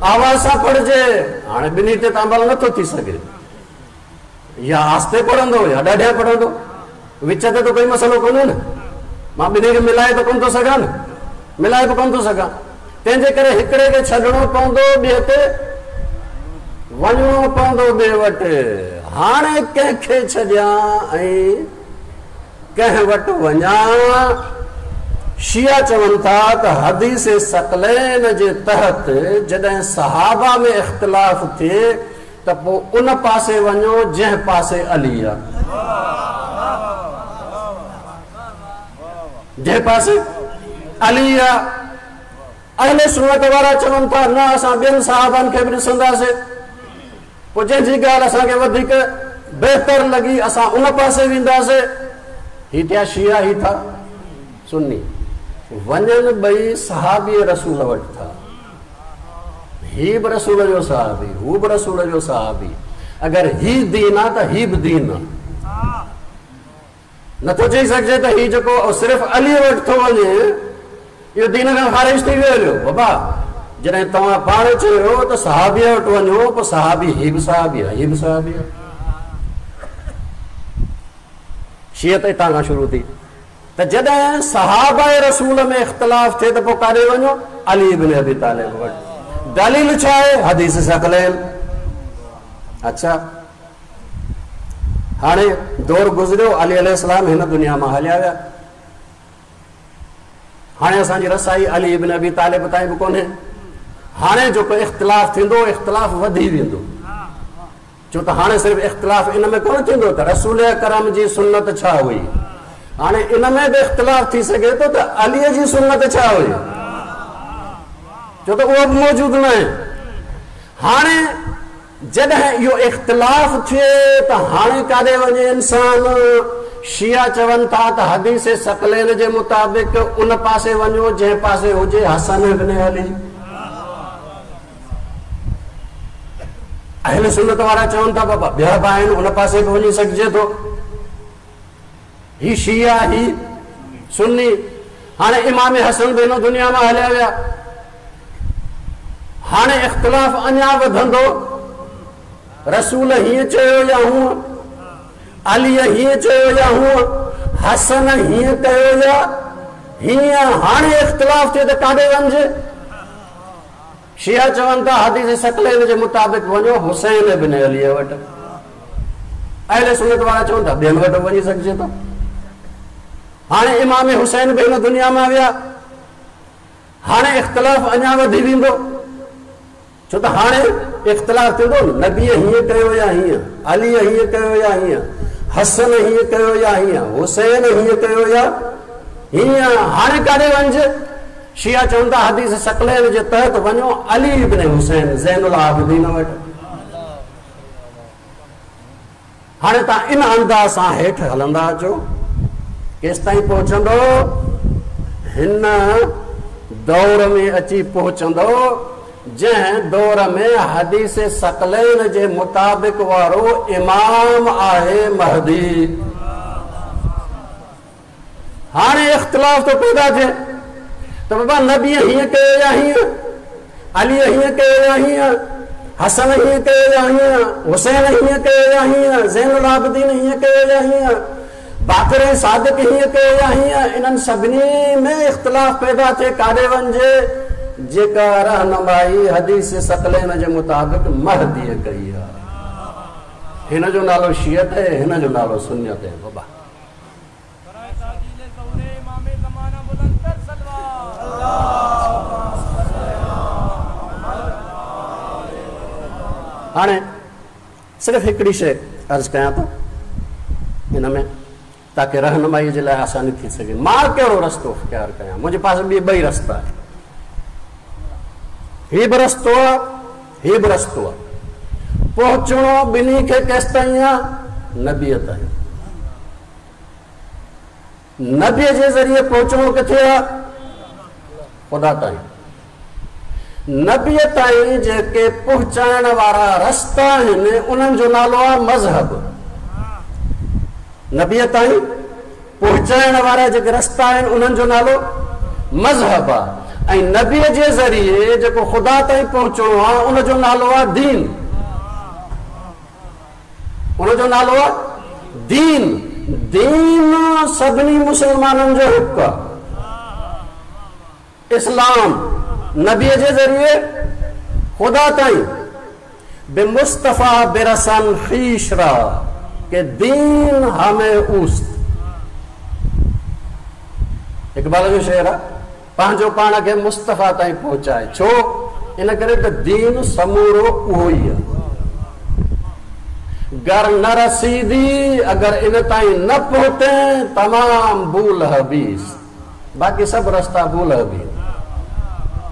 आवाज़ सां पढ़िजे। हाणे ॿिन्ही ते त अमल नथो थी सघे, या आस्ते पढ़ंदो या ॾाढिया पढ़ंदो, विच ते त कोई मसइलो कोन्हे न। मां ॿिन्ही खे मिलाए त कोन थो सघां न, मिलाए बि कोन थो सघां। तंहिंजे करे हिकिड़े खे छॾिणो पवंदो, ॿिए ते वञिणो पवंदो ॿिए वटि। हाणे कंहिंखे छॾियां ऐं कंहिं वटि वञा? शिया चवनि था त हदीस सकलैन जे तहत जॾहिं सहाबा में इख़्तिलाफ़ थिए त पोइ उन पासे वञो जंहिं पासे अली आहे, जंहिं पासे अली आहे। अहले सुन्नत वारा चवनि था न, असां ॿियनि साहबनि खे बि ॾिसंदासीं, पोइ जंहिंजी ॻाल्हि असांखे वधीक बहितर लॻी असां उन पासे वेंदासीं। ही थिया शिया, ही था सुन्नी। वञनि ॿई सहाबी रसूल वटि था, ही बि रसूल जो सहाबी, हू बि रसूल जो सहाबी। अगरि ही दीन आहे त ही बि दीन आहे। नथो चई सघिजे त ही जेको सिर्फ़ु अली वटि थो वञे इहो दीन खां ख़ारिज थी वियो हलियो। बाबा जॾहिं तव्हां पाण चयो त सहाबीअ वटि वञो, पोइ सहाबी ही बि सहाबी आहे, ही बि सहाबी आहे। शीअत हितां खां शुरू थी। त जॾहिं सहाबा रसूल में इख़्तिलाफ़ थिए त पोइ काॾे वञो? अली इब्न अबी तालिब वटि। दलील छा आहे? हदीस सकलैन। अच्छा, हाणे दौर गुज़रियो, अली अलैहिस्सलाम हिन दुनिया मां हलिया विया। हाणे असांजी रसाई अली इब्न अबी तालिब ताईं बि कोन्हे। हाणे जेको इख़्तिलाफ़ थींदो, इख़्तिलाफ़ वधी वेंदो, छो त हाणे सिर्फ़ु इख़्तिलाफ़ इन में कोन थींदो त रसूल करम जी सुन्नत छा हुई, हाणे इन में बि इख़्तिलाफ़ थी सघे थो त अलीअ जी सुन्नत छा हुई, छो त उहो बि मौजूदु न आहे। हाणे जॾहिं इहो इख़्तिलाफ़ थिए त हाणे काॾे वञे इंसान? शिया चवनि था त हदीस सकलैन जे मुताबिक़ उन पासे वञो जंहिं पासे हुजे हसन इब्न अली। अहले सुन्नत वारा चवनि था बाबा ॿिया बि आहिनि, उन पासे बि वञी सघिजे थो। ही शिया, ही सुन्नी। हाणे इमाम हसन बि हिन दुनिया मां हलिया विया। हाणे इख़्तिलाफ़ अञा वधंदो। रसूल हीअं चयो या हूअं, अली हीअं चयो या हूअं, हसन हीअं कयो या हीअं। हाणे इख़्तिलाफ़ थिए त काॾे वञिजे? शिया चवनि था हदीस सकलैन जे मुताबिक़ वञो हुसैन इब्न अलीअ वटि। अहले सुन्नत वारा चवनि था ॿियनि वटि वञी सघिजे थो। हाणे इमाम हुसैन बि हिन दुनिया मां विया। हाणे इख़्तिलाफ़ अञा वधी वेंदो, छो त हाणे इख़्तिलाफ़ थींदो नबीअ हीअं कयो या हीअं, अलीअ हीअं कयो या हीअं, हसन हीअं कयो या हीअं, हुसैन हीअं कयो या हीअं। हाणे काॾे वञिजे? शिया चवनि था हदीस सकलैन जे तहत वञो अली इब्न हुसैन ज़ैनुल आबिदीन वटि। हाणे तव्हां इन अंदाज़ सां हेठि हलंदा अचो, केसि ताईं पहुचंदो? हिन दौर में अची पहुचंदो जंहिं दौर में हदीस सकलैन जे मुताबिक़ वारो इमाम आहे महदी। हाणे इख़्तिलाफ़ थो पैदा थिए त बाबा नबी हीअं कयो या हीअं, अली हीअं कयो या हीअं, हसन हीअं कयो या हीअं, हुसैन हीअं कयो या हीअं, ज़ैनुल आबिदीन हीअं कयो या हीअं, बाक़िर ऐं सादिक़ हीअं कयो या हीअं। इन्हनि सभिनी में इख़्तिलाफ़ पैदा थिए, काॾे वञिजे? जेका रहनुमाई हदीस सकलैन जे मुताबिक़ महदीअ कई आहे। हिन जो नालो शियत आहे, हिन जो नालो सुन्नियत आहे। बाबा हाणे सिर्फ़ु हिकिड़ी शइ अर्ज़ु कयां थो हिन में, ताकी रहनुमाईअ जे लाइ आसानी थी सघे। मां कहिड़ो रस्तो अख़्तियार कयां? मुंहिंजे पास ॿिए ॿई रस्ता आहिनि। ही बि रस्तो आहे, ही बि रस्तो आहे। पहुचणो ॿिन्ही खे केसि ताईं आहे? नबीअ ताईं। नबीअ जे ज़रिए पहुचणो किथे आहे? ख़ुदा ताईं। नबीअ ताईं जेके पहुचाइण वारा रस्ता आहिनि उन्हनि जो नालो आहे मज़हब। नबीअ ताईं पहुचाइण वारा जेके रस्ता आहिनि उन्हनि जो नालो मज़हब आहे। ऐं नबीअ जे ज़रिए जेको ख़ुदा ताईं पहुचणो आहे उनजो नालो आहे दीन। उनजो नालो आहे दीन। दीन सभिनी मुसलमाननि जो हिकु आहे। इस्लाम नबीअ जे ज़रिए ख़ुदा ताईं बे मुस्तफ़ा बेरसन ख़ीशरा के दीन हमें उस्त। इक़बाल जो शेर आहे, पंहिंजो पाण खे मुस्तफ़ा ताईं पहुचाए। छो? इन करे त दीन समूरो उहो ई आहे। गर न रसीदी अगर इन ताईं न पहुते तमाम बूल हबीस, बाक़ी सभु रस्ता बूल हबीस,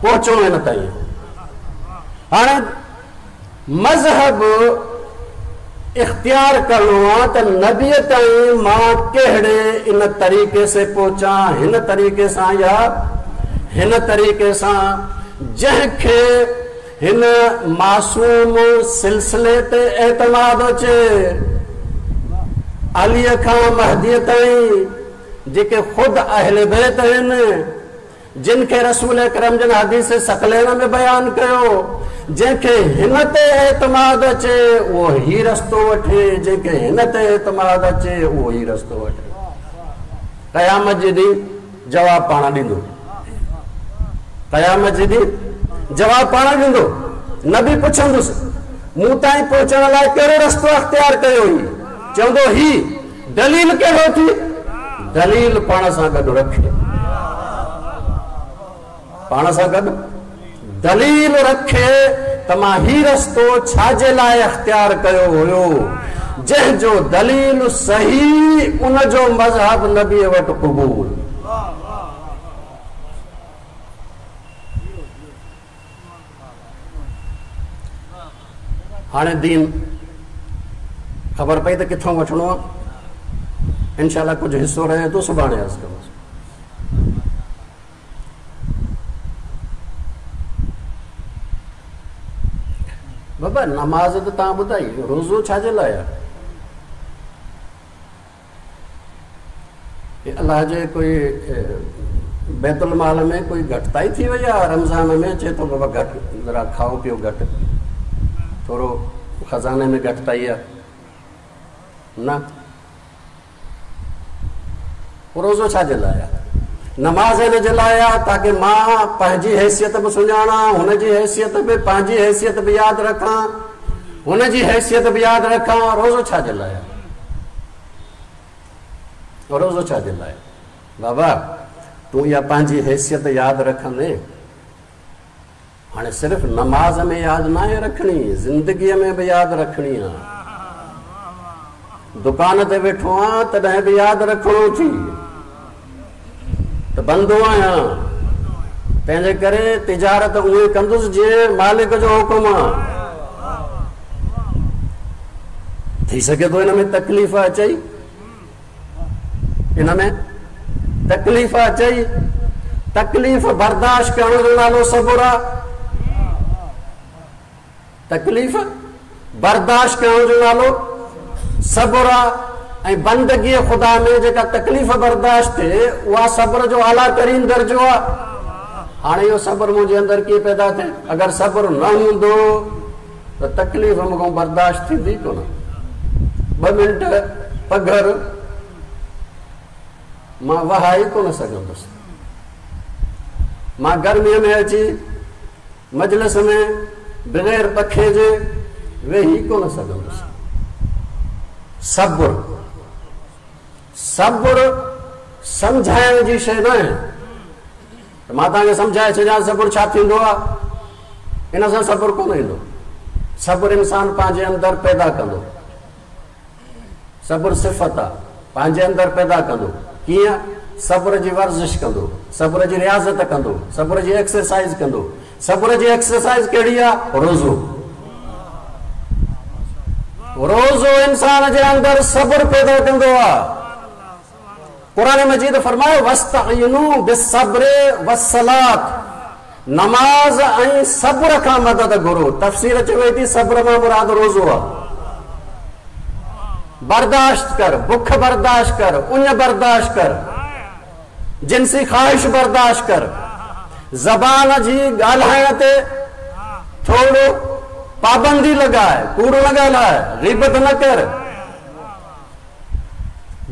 पहुचो इन ताईं। हाणे मज़हब इख़्तियार करिणो आहे त नबीअ ताईं मां कहिड़े इन तरीक़े से पहुचां, हिन तरीक़े सां या हिन तरीक़े सां, जंहिंखे हिन मासूम सिलसिले ते एतमाद अचे, अलीअ खां महदीअ ताईं जेके ख़ुदि अहले बैत आहिनि, जिन खे रसूल अकरम जन हदीस सकलैन में बयानु कयो, जंहिंखे हिन ते एतमाद अचे उहो ही रस्तो वठे, जंहिंखे हिन ते एतमाद अचे उहो ही रस्तो वठे। क़यामत जे ॾींहुं जवाबु पाण ॾींदो, क़यामत जे ॾींहुं जवाबु पाण ॾींदो। नबी पुछंदुसि, मूं ताईं पहुचण लाइ कहिड़ो रस्तो अख़्तियार कयो ही? चवंदो ही दलील कहिड़ो थी? दलील पाण सां गॾु रखे, पाण सां गॾु दलील रखे त मां ही रस्तो छाजे लाइ अख़्तियार कयो हुयो, जंहिंजो दलील सही उनजो मज़हब नबीअ वटि क़बूल। हाणे दीन ख़बर पई त किथां वठिणो आहे। इंशाअल्लाह कुझु हिसो रहे थो, सुभाणे अर्ज़ु कंदुसि। बाबा नमाज़ त तव्हां ॿुधाई, रोज़ो छाजे लाइ आहे? अलाह जे कोई बैतुल माल में कोई घटिताई थी वई आहे रमज़ान में? चए थो बाबा घटि ज़रा खाओ पियो घटि, थोरो ख़ज़ाने में घटिताई आहे। न, रोज़ो छाजे लाइ आहे? नमाज़ हिन जे लाइ आहे ताकी मां पंहिंजी हैसियत बि सुञाणां, हुनजी हैसियत बि, पंहिंजी हैसियत बि यादि रखां, हुनजी हैसियत बि यादि रखां। रोज़ो छाजे लाइ आहे? रोज़ो छाजे लाइ? बाबा तूं इहा पंहिंजी हैसियत यादि रखंदे, हाणे सिर्फ़ नमाज़ में यादि न आहे रखणी, ज़िंदगीअ में बि यादि रखणी आहे। दुकान ते वेठो आहियां तॾहिं बि यादि रखिणो थी त बंदो आहियां, तंहिंजे करे तिजारत उहे कंदुसि जीअं मालिक जो हुकुम आहे। थी सघे थो हिन में तकलीफ़ अचई, हिन में तकलीफ़ अचई, तकलीफ़ बर्दाश्त करण जो नालो सबुरु आहे। तकलीफ़ बर्दाश्त करण जो नालो सबुरु आहे। ऐं बंदगी ख़ुदा में जेका तकलीफ़ बर्दाश्त थिए उहा सब्र जो आला तरीन दर्जो आहे। हाणे इहो सब्र मुंहिंजे अंदरि कीअं पैदा थिए? अगरि सब्र न हूंदो त तकलीफ़ मूंखां बर्दाश्त थींदी कोन। ॿ मिंट पघर मां वहाए कोन सघंदुसि। मां गर्मीअ में अची मजलिस में बग़ैर पखे जे वेही कोन सघंदुसि। सब्र, सब्र सम्झाइण जी शइ न आहे। त मां तव्हांखे सम्झाए छॾियां सब्र छा थींदो आहे, इन सां सब्र कोन ईंदो। सब्र इंसान पंहिंजे अंदरि पैदा कंदो। सब्र सिफ़त आहे, पंहिंजे अंदरि पैदा कंदो। कीअं? सब्र जी वर्ज़िश कंदो, सब्र जी रियाज़त कंदो, सब्र जी एक्सरसाइज़ कंदो। सब्र जी एक्सरसाइज़ कहिड़ी आहे? रोज़ो। रोज़ो इंसान जे अंदरि सब्र पैदा कंदो आहे। क़ुरान मजीद फरमायो वस्तईनू बिस्सब्र वस्सलात, नमाज़ ऐं सब्र खां मदद घुरो। तफ़सीर चवे थी सब्र मां मुराद रोज़ो आहे। बर्दाश्त कर, बुख बर्दाश्त कर, उञ बर्दाश्त कर, जिनसी ख़्वाहिश बर्दाश्त कर, ज़बान जी ॻाल्हाइण ते थोरो पाबंदी लॻाए, कूड़ न ॻाल्हाए, ग़ीबत न कर,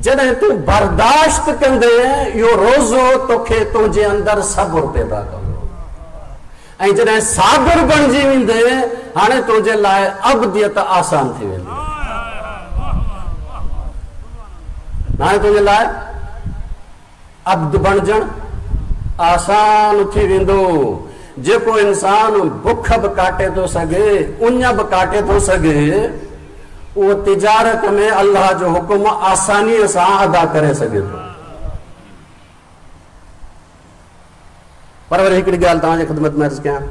जॾहिं तूं बर्दाश्त कंदे इहो रोज़ो तोखे तुंहिंजे अंदरि सब्र पैदा कंदो ऐं जॾहिं साबिर बणिजी वेंदे हाणे तुंहिंजे लाइ अबदियत आसान थी वेंदी। हाणे तुंहिंजे लाइ अब्द बणिजणु आसान थी वेंदो। जेको इंसान बुख बि काटे थो सघे, उञ बि काटे थो सघे, उहो तिजारत में अल्लाह जो हुकुम आसानीअ सां अदा करे सघे थो। पर वरी हिकिड़ी ॻाल्हि तव्हांजी ख़िदमत में अर्ज़ु कयां,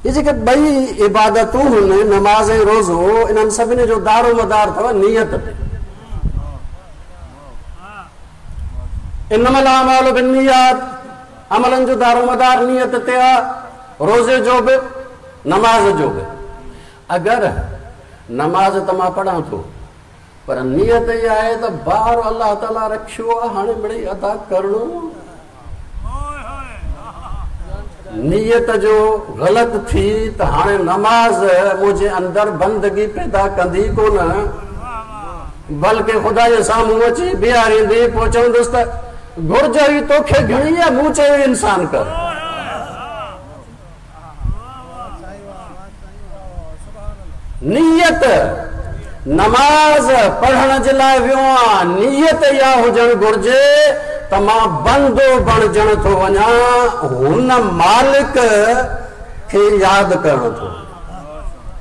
इहे जेके ॿई इबादतूं आहिनि नमाज़ ऐं रोज़ो, इन्हनि सभिनी जो दारो मदार अथव नीयत ते। इन्नमल आमालु बिन्नियात, अमलनि जो दारो मदार नीयत ते आहे, रोज़े जो बि नमाज़ जो बि। अगरि नमाज़ त मां पढ़ां थो पर नीयत इहा आहे त बार अल्लाह ताला रखियो आहे, हाणे मिड़ई अदा करिणो। नीयत जो ग़लति थी त हाणे नमाज़ मुंहिंजे अंदरि बंदगी पैदा कंदी कोन, बल्कि ख़ुदा जे साम्हूं अची बीहारींदी, पोइ चवंदुसि त घुर्ज हुई तोखे घणी आहे, मूं चयो इंसान कर। नीयत नमाज़ पढ़ण जे लाइ वियो आहियां, नीयत इहा हुजणु घुर्जे त मां बंदो बणिजण थो वञा, हुन मालिक खे यादि करणु थो,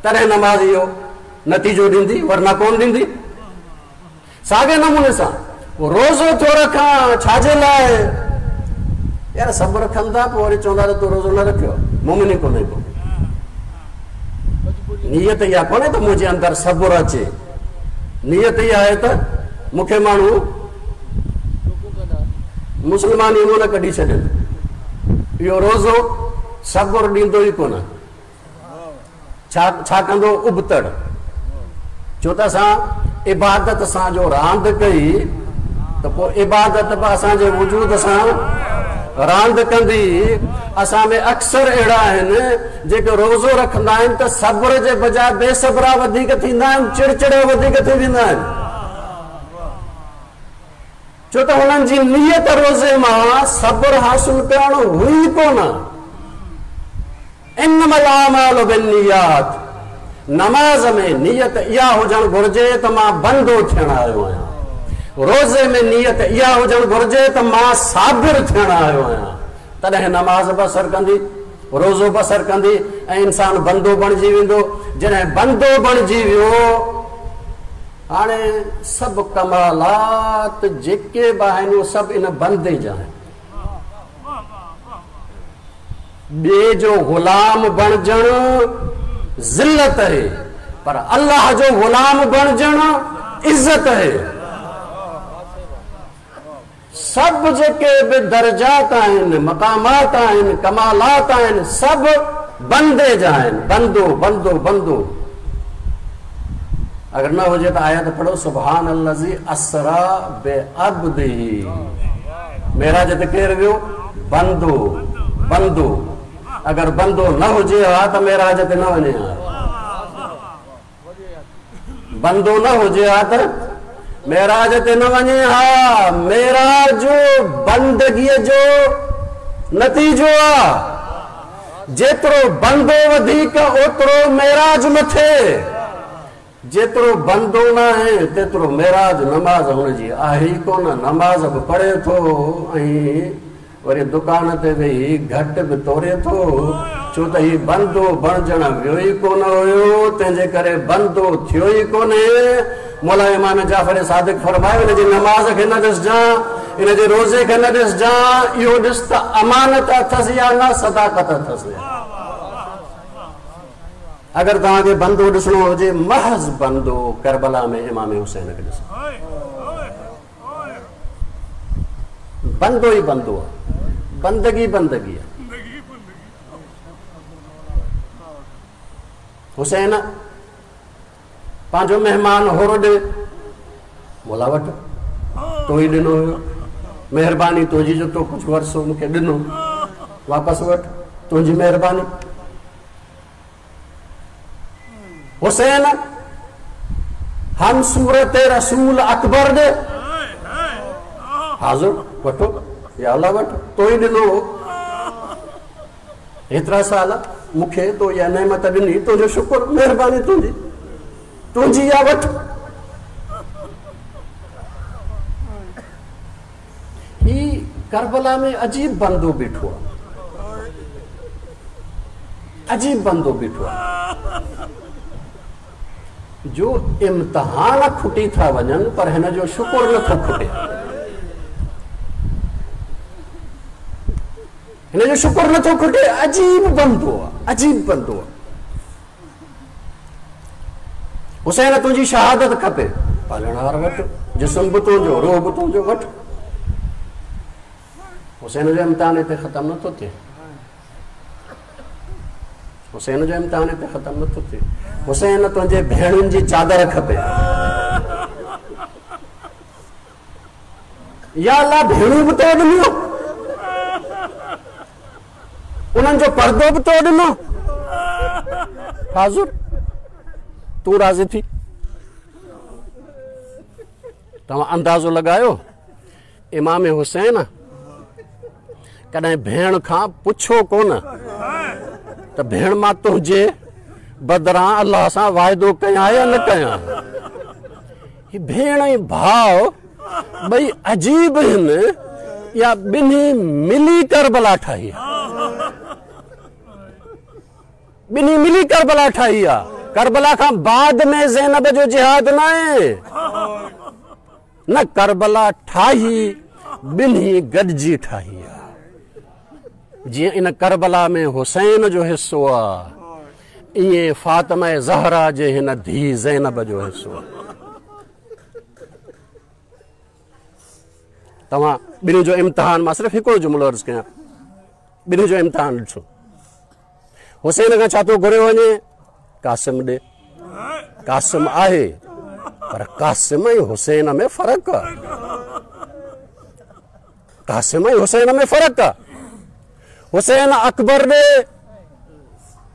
तॾहिं नमाज़ इहो नतीजो ॾींदी, वरना कोन ॾींदी। साॻे नमूने सां रोज़ो थो रखां, छाजे लाइ? यार सभु रखनि था, पोइ वरी चवंदा त तूं रोज़ो न रखियो, मुमिन कोन्हे को। नीयत इहा कोन्हे त मुंहिंजे अंदरि सब्र अचे, नीयत इहा आहे त मूंखे माण्हू मुस्लमान ई न कढी छॾनि। इहो रोज़ो सब्र ॾींदो ई कोन, छा छा कंदो? उबतड़। छो त असां इबादत सां जो रांदि कई त पोइ इबादत बि असांजे वजूद सां रांदि कंदी। असां में अक्सर अहिड़ा आहिनि जेके रोज़ो रखंदा आहिनि त सब्र जे बजाए बेसब्रा वधीक थींदा आहिनि, चिड़चिड़ा वधीक थी वेंदा आहिनि। छो त हुननि जी नीयत रोज़े मां सब्र हासिल करणु हुई कोन। इन्नमल आमालु बिन्नियात, नमाज़ में नीयत इहा हुजणु घुर्जे त मां बंदो थियण आयो आहियां, रोज़े में नीयत इहा हुजणु घुर्जे त मां साबिर थियण आयो आहियां, तॾहिं नमाज़ बि असर कंदी, रोज़ो बि असर कंदी ऐं इंसान बंदो बणिजी वेंदो। जॾहिं बंदो बणिजी वियो, हाणे सभु कमालात जेके बि आहिनि उहे सभु इन बंदे जा आहिनि। ॿिए जो ग़ुलाम बणिजणु ज़िल्लत आहे, पर अल्लाह जो ग़ुलाम बणिजणु इज़त आहे। सभु जेके बि दर्जात आहिनि, मक़ामात आहिनि, कमालात आहिनि, सभु बंदे जा आहिनि। बंदो बंदो बंदो। अगरि न हुजे त आयत पढ़ो, सुभान अल्लज़ी असरा बे अब्दिही। मेराज ते केरु वियो? बंदो बंदो। अगरि बंदो न हुजे हा त मेराज ते न वञे हा, बंदो न हुजे हा त मेराज ते न वञे हा। मेराज बंदगीअ जो नतीजो आहे। जेतिरो बंदो वधीक ओतिरो मेराज मथे, जेतिरो बंदो न आहे तेतिरो मेराज नमाज़ हुनजी आहे ई कोन। नमाज़ बि पढ़े थो ऐं वरी दुकान ते वेही घटि बि तोड़े थो, छो त हीउ बंदो बणिजण वियो ई कोन हुयो, तंहिंजे करे बंदो थियो ई कोन्हे। मौला इमाम जाफ़र सादिक फरमायो, इन जी नमाज़ खे न ॾिसजां, इन जे रोज़े खे न ॾिसजां, इहो ॾिस त अमानत अथसि या न, सदाक़त अथसि। अगरि तव्हांखे बंदो ॾिसणो हुजे, महज़ बंदो करबला में इमाम हुसैन खे ॾिसो, बंदो ई बंदो आहे, बंदगी बंदगी आहे। हुसैन पंहिंजो महिमान होरो ॾे, मौला वटि तो ई ॾिनो हुयो, महिरबानी तुंहिंजी जो तो कुझु वरसो मूंखे ॾिनो, वापसि वठि, तुंहिंजी महिरबानी। हुसैन हम सूरत रसूल अकबर ॾे। हाज़िर वठो या अल्लाह वठो, तो ई ॾिनो हेतिरा साल मूंखे, तो इहा नेमत ॾिनी, तुंहिंजो शुक्र, महिरबानी तुंहिंजी, तुंहिंजी इहा वठि। ही करबला में अजीब बंदो बीठो आहे, अजीब बंदो बीठो आहे जो इम्तिहान खुटी था वञनि पर हिन जो शुक्र नथो खुटे, हिन जो शुक्र नथो खुटे। अजीब बंदो आहे, अजीब बंदो आहे। हुसैन तुंहिंजी शहादत खपे, पालणहार वठि, जिस्म बि तुंहिंजो, रूह बि तुंहिंजो, वठि। हुसैन जो इम्तिहान हिते ख़तमु नथो थिए, हुसैन जो इम्तिहान हिते ख़तमु नथो थिए। हुसैन तुंहिंजे भेणुनि जी चादर खपे, या अल्लाह भेणूं बि तो ॾिनियो, उन्हनि जो पर्दो बि तो ॾिनो। हाज़ुर तूं राज़ी थी। तव्हां अंदाज़ो लॻायो, इमाम हुसैन कॾहिं भेण खां पुछो कोन त भेण मां तुंहिंजे बदिरां अल्लाह सां वाइदो कयां या न कयां। ही भेण ऐं भाउ ॿई अजीब आहिनि, या ॿिन्ही मिली करबला ठाही आहे, ॿिन्ही मिली करबला ठाही आहे। करबला खां बाद में ज़ैनब जो जिहाद न आहे, न करबला ठाही ॿिन्ही गॾिजी ठाही आहे। जीअं इन करबला में हुसैन जो हिसो आहे, ईअं फातिमा ज़हरा जे हिन धीउ ज़ैनब जो हिसो आहे। तव्हां ॿिन्ही जो इम्तिहान, मां सिर्फ़ु हिकिड़ो जुमिलो अर्ज़ु कयां, ॿिन्ही जो इम्तिहान ॾिसो। हुसैन खां छा थो घुरियो वञे? कासिम ॾे। कासिम आहे पर कासिम ऐं हुसैन में फ़र्क़ु आहे, कासिम ऐं हुसैन में फ़र्क़ु आहे। हुसैन अकबर ॾे,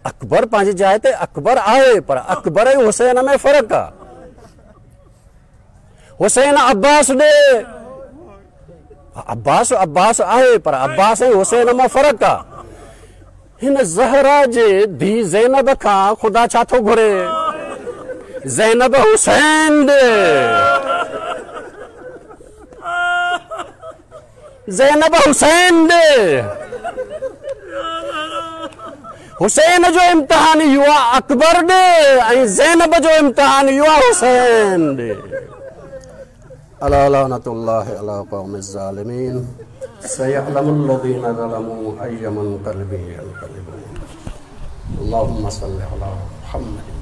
अकबर पंहिंजी जाइ ते अकबर आहे पर अकबर ऐं हुसैन में फ़र्क़ु आहे। हुसैन अब्बास ॾे, अब्बास अब्बास आहे पर अब्बास ऐं हुसैन मां फ़र्क़ु आहे। हिन ज़हरा जे धीउ ज़ैनब खां ख़ुदा छा थो घुरे? ज़ैनब हुसैन ॾे, ज़ैनब हुसैन ॾे। हुसैन जो इम्तिहान इहो आहे अकबर ॾे ऐं ज़ैनब जो इम्तिहान इहो आहे हुसैन ॾे। अला लानतुल्लाहि अला क़ौमिज़ ज़ालिमीन सयअलमुल्लज़ीना ज़लमू अय्य मुनक़लिबिन यनक़लिबून। अल्लाहुम्मा सल्लि अला मुहम्मद।